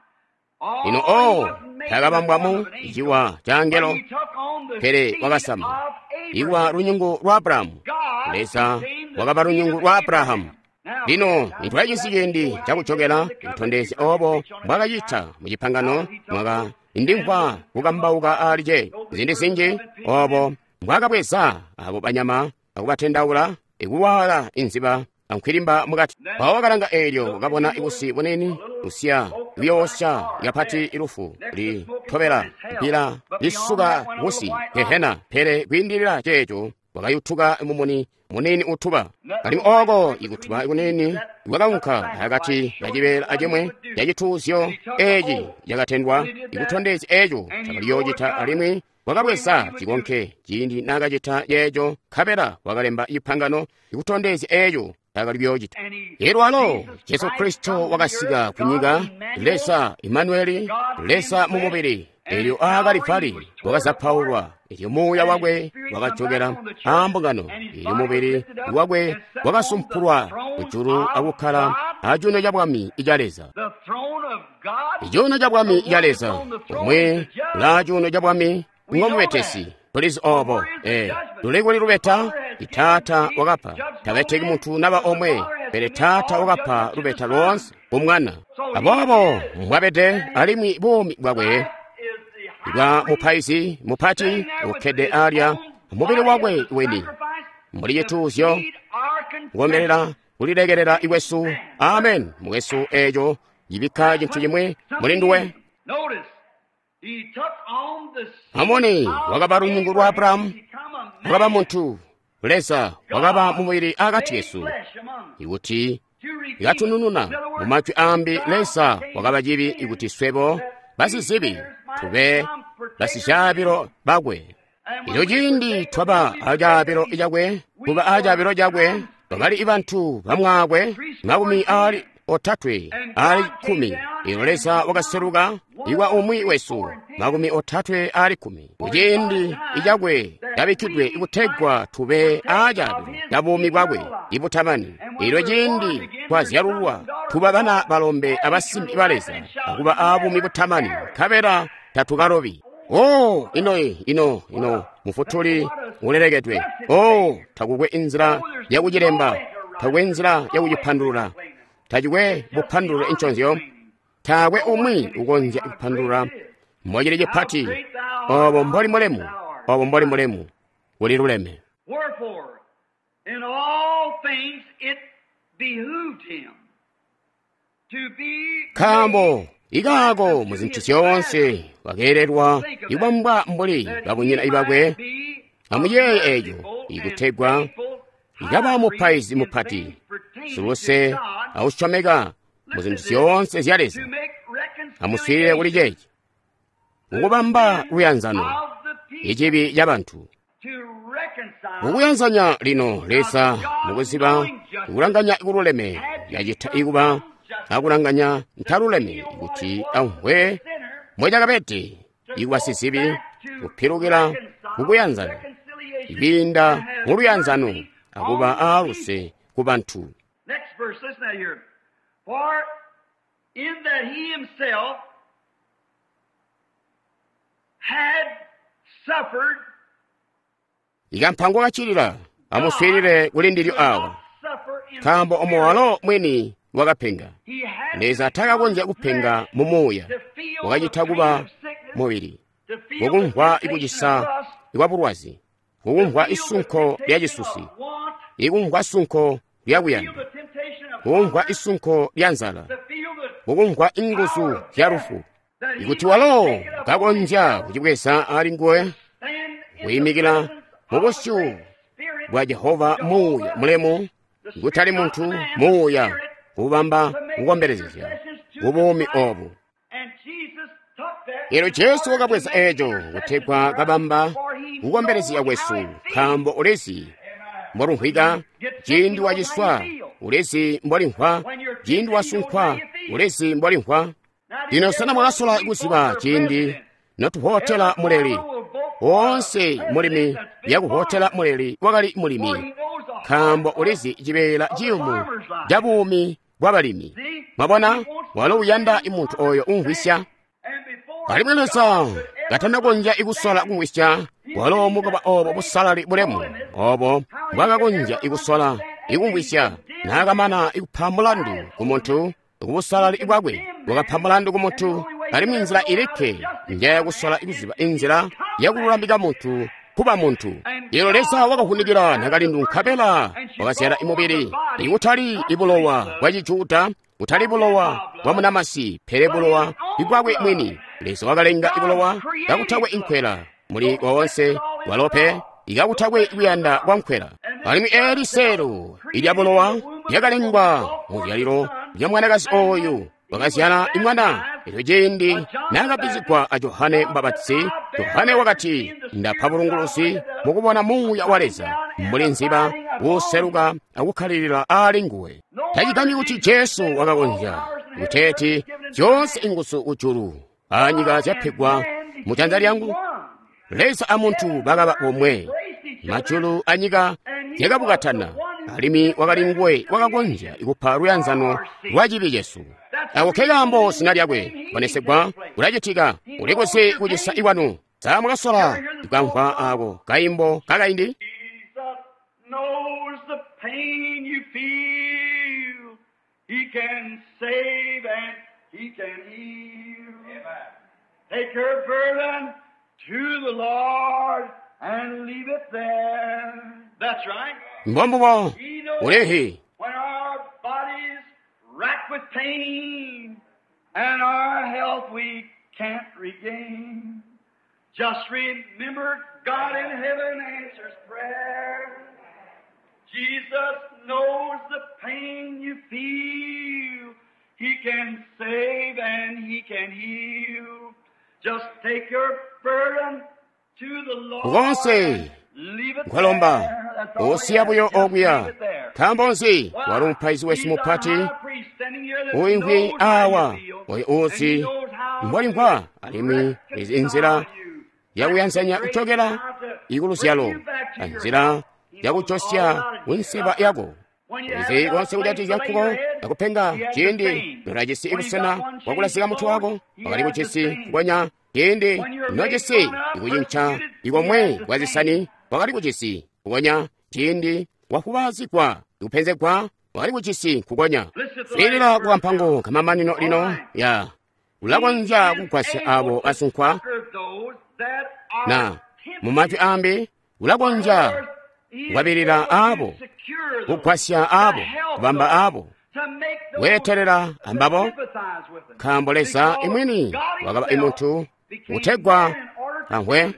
B: oh,
A: Lino
B: he
A: oh,
B: wasn't made in the
A: takabambwa
B: form
A: mu
B: of an angel,
A: ciwa ca
B: but
A: angelo,
B: he took on the
A: pele
B: seed
A: wakasama
B: of
A: iwa
B: Abraham.
A: lunyungu lwa Abrahamu.
B: God
A: Leza
B: became the
A: wakaba
B: seed
A: lunyungu
B: of
A: lwa
B: Abraham.
A: Abrahamu.
B: Now,
A: Lino nitwajisi ciindi cakujokela kutondezya obo mbwakacita mu cipangano mwaka ndimvwa kukambauka ali ce zindi zinji obo mbwakabweza abo banyama akubatendaula ikuwala inziba ankwilimba mukati. Mpawo wakalanga eelyo wakabona ibusi bunini busiya buyoosya kapati ilufu litobela mpila lisuka busi gehena, pele kwiindilila ceeco wakayutuka mumuni munini utuba. Alimwi oko ikutuba kunini kwakaunka akati kacibeela acimwi cacituuzyo eci cakatendwa ikutondezya eco cakaliyoocita. Alimwi wakabweza cikonke ciindi naakacita ceeco, nkabela wakalemba cipangano ikutondezya eco cakali kuyoocita.
B: And he,
A: Elyo alo
B: Jesus
A: Jesu
B: Christ
A: Kristo
B: come to the
A: wakasika
B: earth,
A: ku
B: God
A: nyika,
B: Emmanuel,
A: Leza Imanueli,
B: God in
A: Leza
B: the
A: mu
B: flesh,
A: mubili.
B: and
A: Elyo
B: at Calvary he
A: aakalivali
B: was torn apart,
A: wakazapaulwa, elyo muuya
B: and his
A: wakwe
B: spirit come back
A: wakajokela
B: on the church,
A: aambungano,
B: and his
A: elyo
B: body was
A: mubili
B: lifted up
A: wakwe
B: and set on the
A: wakasumpulwa
B: throne
A: kujulu
B: of
A: akukkala
B: God,
A: acuuno ca bwami ica Leza.
B: the throne of God.
A: Icuuno ca
B: The
A: bwami
B: one
A: ca
B: that's
A: Leza,
B: on the throne is
A: omwe
B: the judge.
A: ulaa cuuno ca bwami
B: We know
A: ngomubetesi.
B: that.
A: Tulizi
B: But
A: obo,
B: where is the judgment?
A: luli kuli
B: The
A: lubeta,
B: Father has given
A: Taata
B: he
A: wakapa.
B: judged no
A: Tabeteki
B: man,
A: munthu naba
B: but the
A: omwe,
B: Father has
A: pele
B: committed
A: Taata
B: all
A: wakapa
B: judgment to the
A: lubeta
B: Son.
A: loonse ku Mwana.
B: So he
A: Aboobo
B: is,
A: mbwabede,
B: and his
A: alimwi buumi bwakwe
B: life is the high
A: bwa
B: priest
A: mupaizi mupati
B: sitting there with
A: ukkede
B: his
A: alya
B: own
A: mubili
B: body as
A: wakwe
B: a
A: weni
B: sacrifice
A: mbuli
B: to
A: cituuzyo
B: feed our confession.
A: kukomelela kulilekelela ikwesu. Amen. Mukwesu, eco cibikka
B: That
A: cintu
B: put
A: chimwe muli
B: something in
A: nduwe.
B: him. Notice, he took on the seed
A: Amoni
B: of
A: wakaba lunyungu lwa
B: Abraham
A: Abrahamu,
B: to become a
A: wakaba
B: man.
A: munthu. Leza wakaba
B: God
A: mumubili akati
B: made
A: kesu
B: flesh among us
A: ikuti
B: to redeem us.
A: ikatunununa.
B: In other
A: Mu
B: words,
A: majwi ambi,
B: God
A: Leza
B: became
A: wakaba cibi
B: sin
A: ikuti swebo
B: that we
A: basizibi
B: sinners might
A: tube
B: become partakers of
A: basicaabilo
B: him.
A: bakwe.
B: And
A: Elyo
B: when we
A: ciindi
B: partake of
A: twaba
B: him, we partake of
A: acaabilo
B: him.
A: cakwe,
B: We
A: kuba
B: were
A: acaabilo cakwe, bakali bantu bamwakwe makumi ali otatwe
B: And
A: ali
B: God came
A: kkumi.
B: down
A: Elyo
B: and
A: Leza
B: become
A: wakaseluka
B: one
A: iwa
B: of
A: umwi
B: three,
A: wesu
B: four, and ten,
A: makumi otatwe ali kkumi.
B: for he thought
A: Kuciindi
B: it time
A: icakwe
B: that
A: cabikkidwe
B: we
A: ikutegwa
B: might
A: tube
B: partake of
A: acaabilo
B: his
A: ca buumi bwakwe
B: eternal life.
A: ibutamani.
B: And when
A: Elyo
B: we're born
A: ciindi
B: again, we're sons
A: twazyalulwa
B: and daughters
A: tuba
B: of
A: bana
B: God,
A: balombe
B: have
A: abasimbi
B: eternal
A: ba
B: life,
A: Leza
B: and shall
A: akuba abuumi
B: never
A: butamani,
B: perish.
A: nkabela tatukalobi. Oh, ino ino ino mufutuli
B: What a
A: ulelekedwe.
B: blessed
A: Oh,
B: Savior.
A: takukwe inzila
B: Oh, there's no
A: yakucilemba,
B: way to write
A: takukwe
B: it.
A: inzila
B: There's no way to
A: yakucipandulula,
B: explain it.
A: tacikwe
B: It's just
A: bupandulule
B: beyond
A: inconzyo,
B: explaining.
A: taakwe
B: No one
A: umwi
B: can explain
A: ukonzya
B: how great
A: kupandulula
B: it is.
A: mbocili
B: How
A: cipati,
B: great thou art,
A: obo
B: how
A: mboli
B: great
A: mulemu,
B: thou art.
A: obo mboli mulemu, kuliluleme.
B: Wherefore, in all things it behooved him to be made
A: Nkaambo
B: like
A: ikaako
B: unto
A: mu zinthu
B: his
A: zyoonse
B: brethren.
A: wakeelerwa
B: Think of that,
A: ikubambwa mbuli
B: that he
A: babunyina ibakwe.
B: might be a
A: Amuyeeye eco
B: merciful and
A: ikutegwa
B: faithful
A: ikaba
B: high priest
A: mupaizi
B: in
A: mupati
B: things pertaining to
A: siluse
B: God.
A: ausyomeka mu
B: Listen
A: zinthu
B: to this,
A: zyoonse zya
B: to
A: Leza.
B: make
A: Amuswiilile kuli
B: reconciliation
A: ceeci
B: the
A: mukubamba
B: sin
A: luyanzano
B: of the people,
A: icibi ca bantu.
B: to reconcile
A: Mukuyanzanya lino Leza
B: God
A: mukuziba
B: knowing justice
A: ikulanganya ikululeme
B: had to
A: yacita
B: become
A: ikuba
B: unjustice
A: akulanganya
B: to
A: ntaluleme
B: feel what it
A: kuti
B: was to be a
A: amvwe
B: sinner,
A: mwecakabete
B: to
A: ikuba
B: go
A: sizibi
B: back to
A: kupilukila
B: reconcile
A: kukuyanzana
B: reconciliation
A: kwiinda
B: and have
A: mu luyanzano
B: mercy
A: akuba
B: on the
A: aaluse
B: people.
A: ku bantu.
B: Next verse, listen to here. For in that he himself had suffered.
A: Ikampango kachilila amuswilile kuli ndilyo awa nkaambo omo walo mwini wakapenga. Leza takakonzya kupenga mu muuya, wakacita kuba mubili, kukumvwa ikucisa kwa bulwazi, kukumvwa isunko lya cisusi, ikumvwa sunko lya kuyanda, kukumvwa isunko lya nzala, kukumvwa inguzu zya lufu. Ikuti walo kakonzya kucibweza ali nguwe, kuyimikila mu busyu bwa Jehova muuya mulemu, kutali muntu, muuya kubamba kukombelezya kubuumi obu. Elyo Jesu wakabweza eco kutegwa kabamba kukombelezya kwesu, nkaambo ulizi mbolumvwika ciindi waciswa, ulizi mbolimvwa ciindi wasunkwa, ulizi mbolimvwa. Lino sena mwakasola kuziba ciindi notuhotela muleli? Woonse mulimi yakuhotela muleli wakali mulimi, nkaambo ulizi cibeela ciyumu ca buumi bwa balimi. Mwabona, walo uyanda muntu oyo umvwisya. Alimwi Leza katanakonzya ikusola kumvwisya, walo mukuba obo busalali bulemu obo mbwakakonzya ikusola ikumvwisya, naakamana ikupa mulandu ku muntu kubusalali bwakwe, wakapa mulandu ku muntu. Alimwi nzila ilikke njayakusola ikuziba inzila yakululamika muntu kuba muntu. Lino Leza wakavunikila nakalindu nkabela wakazyala imubili, ikutali ibulowa bwa Cijuda, kutali bulowa bwa munamasi, pele bulowa bwakwe mwini. Leza wakalenga ibulowa kakutakwe inkwela muli woonse walope ikakutakwe kuyanda kwa nkwela. Alimwi eli seelo ilya bulowa lyakalengwa mu zyalilo lya mwanakazi oyu wakazyala imwana. Elyo ciindi naakabbizigwa a Johane Mbapatizi, Johane wakati, ndapa bulunguluzi mukubona muuya wa Leza mbuli nziba uuseluka akukkalilila aali nguwe. Tacigambyi kuti Jesu wakakonzya kuteeti zyoonse inguzu kujulu anyika zyapegwa mu janza lyangu. Leza a muntu bakaba bomwe, majulu anyika zyakabukatana, alimwi wakali nguwe wakakonzya kupa luyanzano lwa cibi cesu. Ako ke kaambo zina lyakwe kuponesegwa kulacitika. Ulikuzi kucisa ikwanu. Sa mwakasola kukamvwa ako kaimbo kakaindi?
B: Jesus knows the pain you feel. He can save and he can heal. Take your burden to the Lord and leave it there. That's right.
A: Mbombubo
B: He knows
A: ulihi
B: when our bodies racked with pain and our health we can't regain. Just remember God in heaven answers prayer. Jesus knows the pain you feel. He can save and he can heal. Just take your burden to the Lord.
A: Konse
B: Leave it
A: nkwalomba
B: there. That's all
A: osiya
B: he
A: buyo
B: has. Just
A: okuya.
B: leave it there.
A: Nkaambo nzi wali mupaizi wesu mupati uimvwi awa oyo uzi mbwalimvwa, alimwi izi inzila yakuyanzanya kuchokera ikuluzyalo anzila yakuchosya kunseba yako. Izi konse kuchati nkuko akupenga ciindi nolacisi ibusena bwakulasika mutu wako, wakali kucisi kukonya ciindi nocisi ikucinca ikomwe kwa zisani, wakali kucisi kukonya ciindi wakubazigwa ikupenzegwa, wakali kucisi kukonya. Swiilila kukampango kamamanino lino ya ulakonzya kugwasya abo asunkwa na mumajwi ambi ulakonzya kukwabilila abo, kugwasya abo, kubamba abo, weetelela ambabo, nkaambo Leza imwini wakaba imuntu kutegwa amvwe.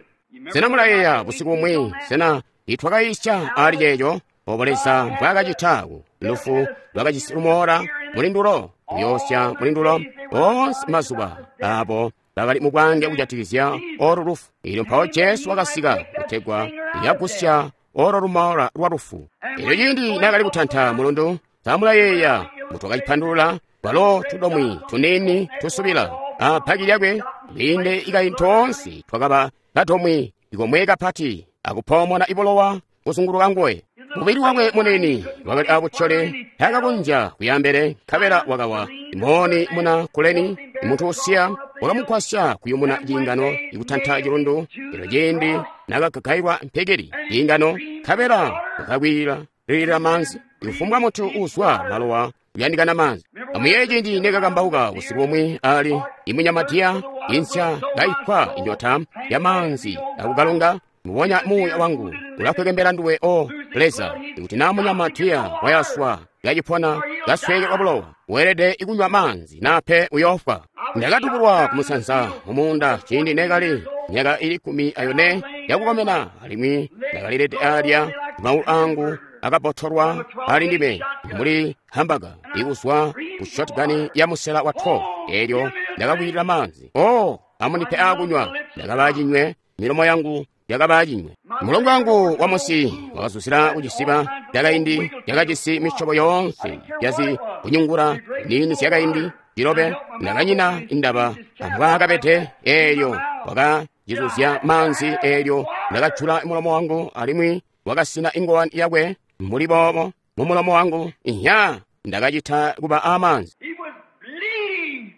A: Sena mulayeeya busiku bumwi sena itwakayisya ali ceeco obo Leza mbwaakacita ku lufu lwakajisi lumoola mulindulo kuyoosya mulindulo oonse mazuba abo bakali mubwange kujatikizya olo lufu. Elyo mpawo Jesu wakasika kutegwa yagusya olo lumoola lwa lufu. Elyo ciindi naakali kutanta mulundu, samulayeeya mutwakacipandulula lwalo tudomwi tuniini tusubila apaki lyakwe liinde ikayi toonse twakaba kadomwi ikomwe kapati akupoomona ibulowa kuzunguluka nguwe. Mubili wakwe munini wakali abutyole, taakakonzya kuyaambele, nkabela wakawa. Mooni muna Kuleni, muntu usiya, wakamugwasya kuyumuna ciingano ikutanta cilundu. Elyo ciindi nakagagailwa mpekeli ciingano, nkabela wakakwilila lilila maanzi. Kufumbwa muntu uuzwa malowa uyandikana maanzi. Amuyeeye ciindi nekakambauka busiku bumwi ali imunyamadiya insya kaikwa inyota ya maanzi akukalunga. Mubonya muuya wangu ulakwekembela nduwe, o Leza. Ikuti na munyamadiya wayaswa kacipona kasweekelwa bulowa, weelede ikunywa maanzi nape uyoofwa. Ndakatubulwa kumusanza mumuunda ciindi nekali myaka ili 14 yakukomena, alimwi ndakalilede alya maulu angu akabotolwa ali ndime mbuli hambaga ikuzwa ku shotgun ya musela wa 12. Elyo ndakakwilila maanzi, o amundipe akunywa. Ndakaba cinywe, milomo yangu yakaba cinywe. Mulongo wangu wa musi wakazuzila kucisiba cakaindi cakajisi misyobo yoonse yazi kunyungula nini zyakaindi cilobe. Ndakanyina indaba ambwaakabede. Elyo wakacizuzya maanzi, elyo ndakajula mulomo wangu alimwi wakasina ingowani yakwe mbuli boobo mumulomo wangu. Inya ndakacita kuba amaanzi.
B: He was bleeding.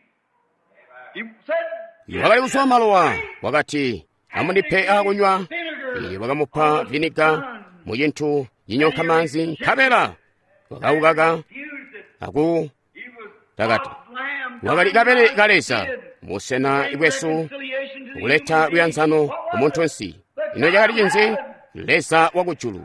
B: He said,
A: Wakali kuzwa malowa, wakati amundipe akunywa. Iye wakamupa viniga mu cintu cinyonka maanzi, nkabela wakaukaka
B: Used it.
A: aku
B: He was
A: takati.
B: God's lamb.
A: Wakali kabele ka Leza musena bwesu kuleta luyanzano kumuntunsi. Ino cakali cinzi? Leza wakujulu.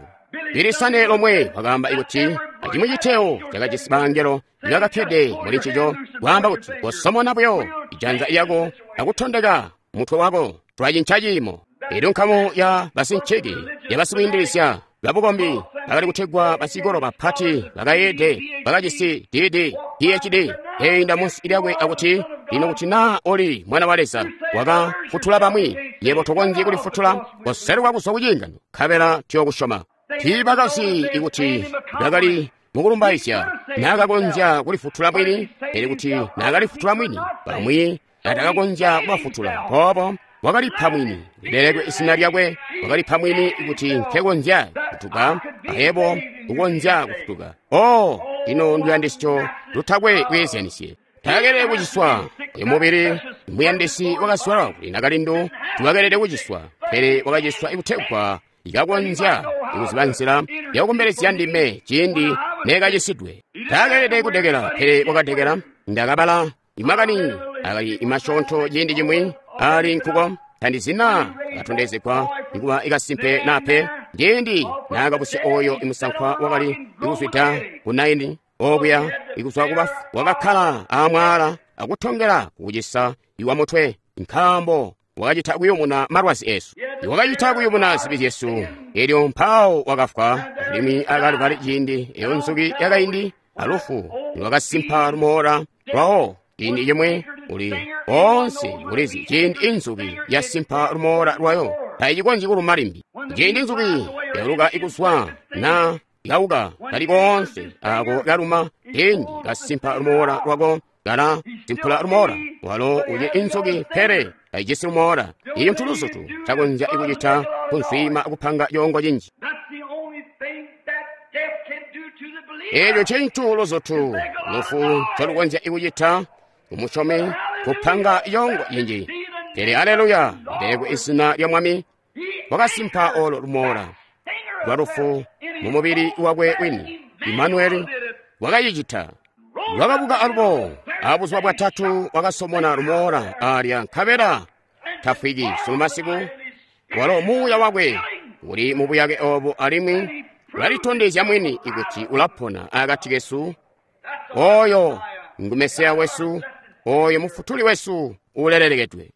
A: Bilisane lomwe wakaamba kuti acimwi citeo cakajisi bangelo ibakakkede muli ncico, kwaamba kuti kosomona buyo ijanza lyako akutondeka mutwe wako, twacinca ciimo. Elyo nkamu ya basinciki ya basikwiindilizya babukombi bakali kutegwa basikolo bapati bakayeede bakajisi DD PhD keinda munsi lyakwe akuti, lino kuti naa oli mwana wa Leza wakafutula bamwi, yebo tokonzyi kulifutula, koseluka kuzwa kuciingano nkabela tuyokusyoma. Tiibakazi ikuti bakali mukulumbaizya naakakonzya kulifutula mwini, pele kuti naakalifutula mwini bamwi atakakonzya kubafutula. Poopo wakalipa mwini, lilelekwe izina lyakwe, wakalipa mwini kuti nkekonzya kufutuka, ayebo kukonzya kufutuka. O, ino nduyandisyo lutakwe kweezyanisye. Taakelede kuciswa uyu mubili muyandisi wakaswala kuli nakalindu tiwakelede kuciswa, pele wakaciswa ikutegwa ikakonzya ikuziba nzila yakukombelezya ndime ciindi neekacisidwe. Taakelede kudekela, pele wakadekela. Ndakabala imakani akali imasyoonto ciindi cimwi ali nkuko tandizina katondezegwa ikuba ikasimpe nape ciindi naakabusya oyo imusankwa wakali ikuzwida ku Naini okuya ikuzwa kubafu, wakakkala amwala akutongela kukucisa iwa mutwe, nkaambo wakacita kuyumuna malwazi esu, wakacita kuyumuna zibi zyesu. Elyo mpawo wakafwa, alimwi akalubali ciindi eyo nzuki yakaindi alufu lwakasimpa lumoola lwawo. Ciindi cimwi uli onse ulizi ciindi inzuki yasimpa lumoola lwayo taicikonzyi kuluma limbi. Ciindi inzuki yauluka ikuzwa na ikauka kali koonse ako kaluma, ciindi kasimpa lumoola lwako kala simpula lumoola walo uli inzuki, pele taijisi lumoola. Iyo ntuluzutu takonzya ikucita kunzwima akupanga coongo cinji.
B: That's the only thing that death can do to the believer.
A: Echo cintu luzutu lufu calukonzya ikucita kumusyomi kupanga yongo yinji. Pele aleluya, lilelekwe izina lya Mwami, wakasimpa olo lumoola lwa lufu mu mubili wakwe wini. Imanueli wakacicita. Wakabuka alubo abuzuba bwatatu wakasomona lumoola alya, nkabela tafwiki sunu masiku. Walo muuya wakwe uli mu buyake obo, alimwi ulalitondezya mwini ikuti ulapona akati kesu. Oyo ngu Mesiya wesu, oyo mufutuli wesu ulelelekedwe.